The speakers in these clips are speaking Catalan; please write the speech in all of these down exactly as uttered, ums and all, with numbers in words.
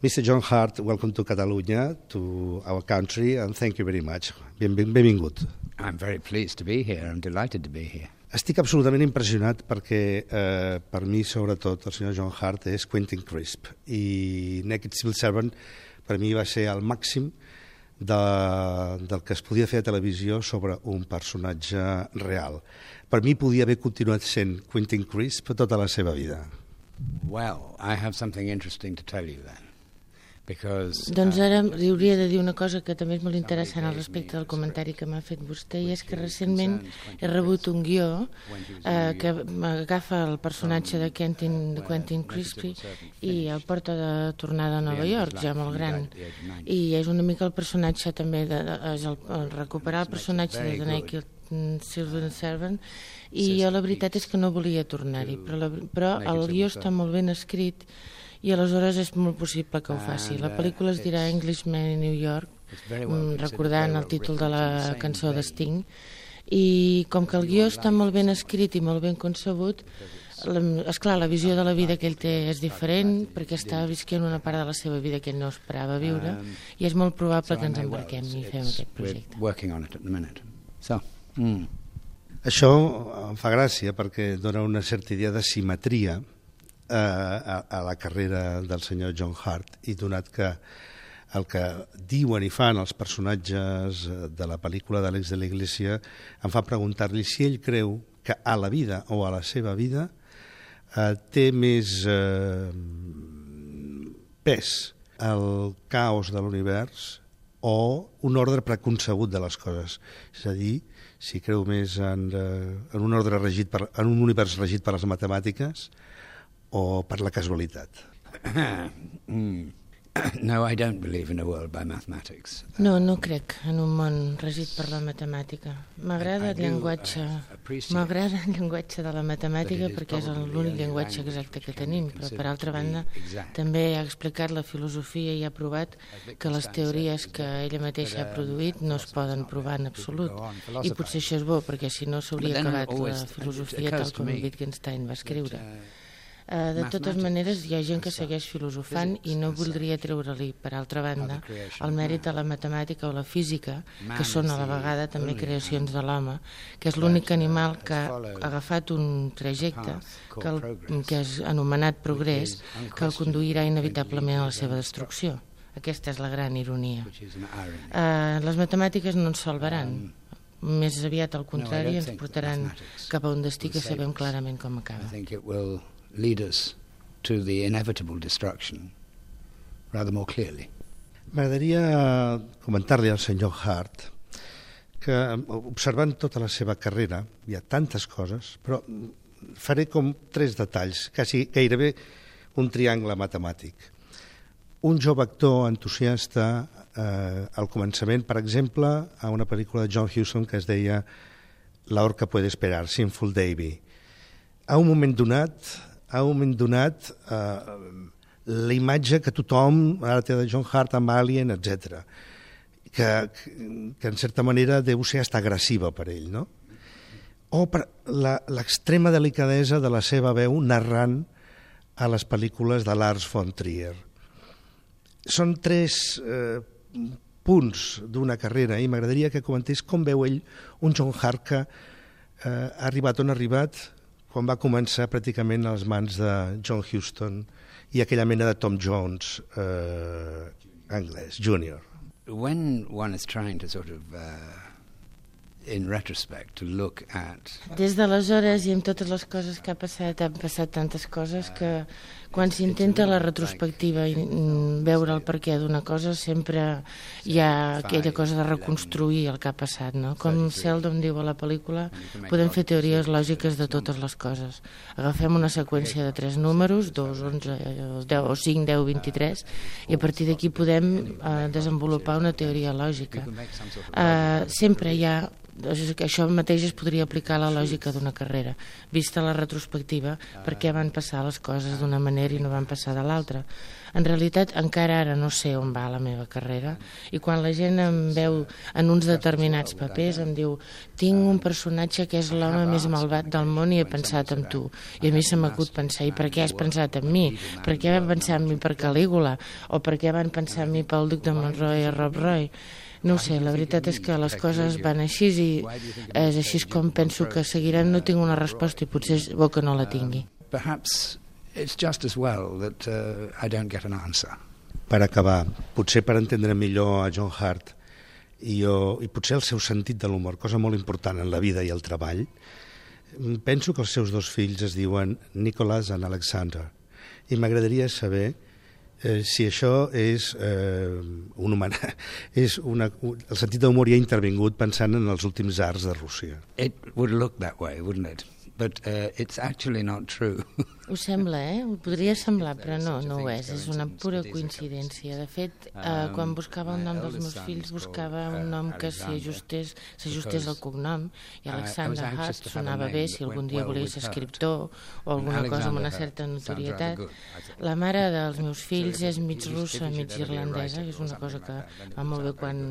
mister John Hurt, welcome to Catalonia, to our country, and thank you very much. Ben, ben, benvingut. I'm very pleased to be here. I'm delighted to be here. Estic absolutament impressionat perquè eh, per mi, sobretot, el senyor John Hurt és Quentin Crisp, i Naked Civil Servant per mi va ser el màxim de, del que es podia fer a televisió sobre un personatge real. Per mi podia haver continuat sent Quentin Crisp tota la seva vida. Well, I have something interesting to tell you then. Because, doncs ara li hauria de dir una cosa que també és molt interessant al respecte del comentari que m'ha fet vostè, i és que recentment he rebut un guió eh, que agafa el personatge de Quentin, de Quentin Crisp i el porta de tornada a Nova York, ja molt gran, i és una mica el personatge també de, de, és el, el recuperar el personatge de The Naked Civil Servant, i jo la veritat és que no volia tornar-hi, però, la, però el guió està molt ben escrit i aleshores és molt possible que ho faci. La pel·lícula es dirà Englishman in New York, recordant el títol de la cançó de Sting, i com que el guió està molt ben escrit i molt ben concebut, esclar, la visió de la vida que ell té és diferent, perquè està visquent una part de la seva vida que ell no esperava viure, i és molt probable que ens embarquem i fem aquest projecte. So, mm. Això em fa gràcia perquè dona una certa idea de simetria A, a la carrera del senyor John Hurt, i donat que el que diuen i fan els personatges de la pel·lícula d'Àlex de la Iglesia em fa preguntar-li si ell creu que a la vida o a la seva vida eh, té més eh, pes el caos de l'univers o un ordre preconcebut de les coses. És a dir, si creu més en, en, un, ordre regit per, en un univers regit per les matemàtiques o per la casualitat. No, I don't believe in a world by mathematics. No, no crec en un món regit per la matemàtica. M'agrada el llenguatge, m'agrada el llenguatge de la matemàtica perquè és l'únic llenguatge exacte que tenim, però per altra banda també ha explicat la filosofia i ha provat que les teories que ella mateixa ha produït no es poden provar en absolut. I potser això és bo, perquè si no s'hauria acabat la filosofia tal com Wittgenstein va escriure. Uh, de totes maneres, hi ha gent que segueix filosofant i no voldria treure-li, per altra banda, el mèrit de la matemàtica o la física, que són a la vegada també creacions de l'home, que és l'únic animal que ha agafat un trajecte que, el, que és anomenat progrés, que el conduirà inevitablement a la seva destrucció. Aquesta és la gran ironia. Uh, les matemàtiques no ens salvaran. Més aviat, al contrari, ens portaran cap a un destí que sabem clarament com acaba. Lead us to the inevitable destruction rather more clearly. M'agradaria comentar-li al senyor Hurt que, observant tota la seva carrera, hi ha tantes coses, però faré com tres detalls, quasi gairebé un triangle matemàtic. Un jove actor entusiasta eh, al començament, per exemple, a una pel·lícula de John Huston que es deia La orca puede esperar, Sinful Davy. A un moment donat, a un moment donat, eh, la imatge que tothom ara té de John Hurt amb Alien, etcètera, que, que en certa manera deu ser hasta agressiva per ell, no? O per l'extrema delicadesa de la seva veu narrant a les pel·lícules de Lars von Trier. Són tres eh, punts d'una carrera i m'agradaria que comentés com veu ell un John Hurt que eh, ha arribat on ha arribat quan va començar pràcticament a les mans de John Huston i aquella mena de Tom Jones eh, anglès, júnior. When one is trying to sort of, uh, in retrospect, to look at... Des d'aleshores i amb totes les coses que ha passat, han passat tantes coses que quan s'intenta la retrospectiva i veure el perquè d'una cosa sempre hi ha aquella cosa de reconstruir el que ha passat, no? Com Seldon diu a la pel·lícula, podem fer teories lògiques de totes les coses. Agafem una seqüència de tres números, dos, onze, deu, o cinc, deu, vint-i-tres, i a partir d'aquí podem eh, desenvolupar una teoria lògica. Eh, sempre hi ha això mateix es podria aplicar a la lògica d'una carrera, vista la retrospectiva, per què van passar les coses d'una manera i no van passar de l'altra. En realitat, encara ara no sé on va la meva carrera, i quan la gent em veu en uns determinats papers em diu, tinc un personatge que és l'home més malvat del món i he pensat en tu. I a mi se m'acut pensar, i per què has pensat en mi? Per què van pensar en mi per Calígula? O per què van pensar en mi pel Duc de Monroy i Rob Roy? No ho sé, la veritat és que les coses van així i és així com penso que seguiran. No tinc una resposta i potser és bo que no la tingui. Perhaps it's just as well that uh, I don't get an answer. Per acabar, potser per entendre millor a John Hurt i, jo, i potser el seu sentit de l'humor, cosa molt important en la vida i el treball, penso que els seus dos fills es diuen Nicholas and Alexander, i m'agradaria saber Eh, si això és eh, un human... és una... el sentit d'humor hi ha intervingut pensant en els últims arts de Rússia. It would look that way, wouldn't it? But uh, it's actually not true. Ho sembla, eh? Ho podria semblar, però no, no ho és. És una pura coincidència. De fet, eh, quan buscava el nom dels meus fills, buscava un nom que s'ajustés s'ajustés al cognom, i Alexander Hurt sonava bé si algun dia volia ser escriptor o alguna cosa amb una certa notorietat. La mare dels meus fills és mig russa, mig irlandesa, que és una cosa que va molt bé quan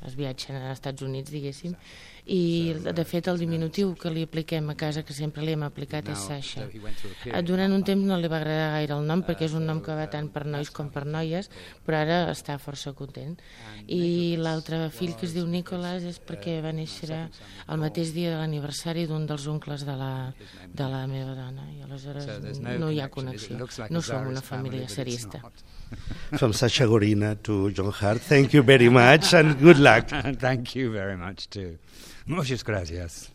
es viatgen als Estats Units, diguéssim, i de fet el diminutiu que li apliquem a casa, que sempre li hem aplicat, és Sasha. Durant un temps no li va agradar gaire el nom perquè és un nom que va tant per nois com per noies, però ara està força content. I l'altre fill, que es diu Nicholas, és perquè va néixer el mateix dia de l'aniversari d'un dels oncles de la, de la meva dona, i aleshores no hi ha connexió. No som una família serista. From Sasha Gorina to John Hurt, thank you very much and good luck. Thank you very much too. Muchas gracias.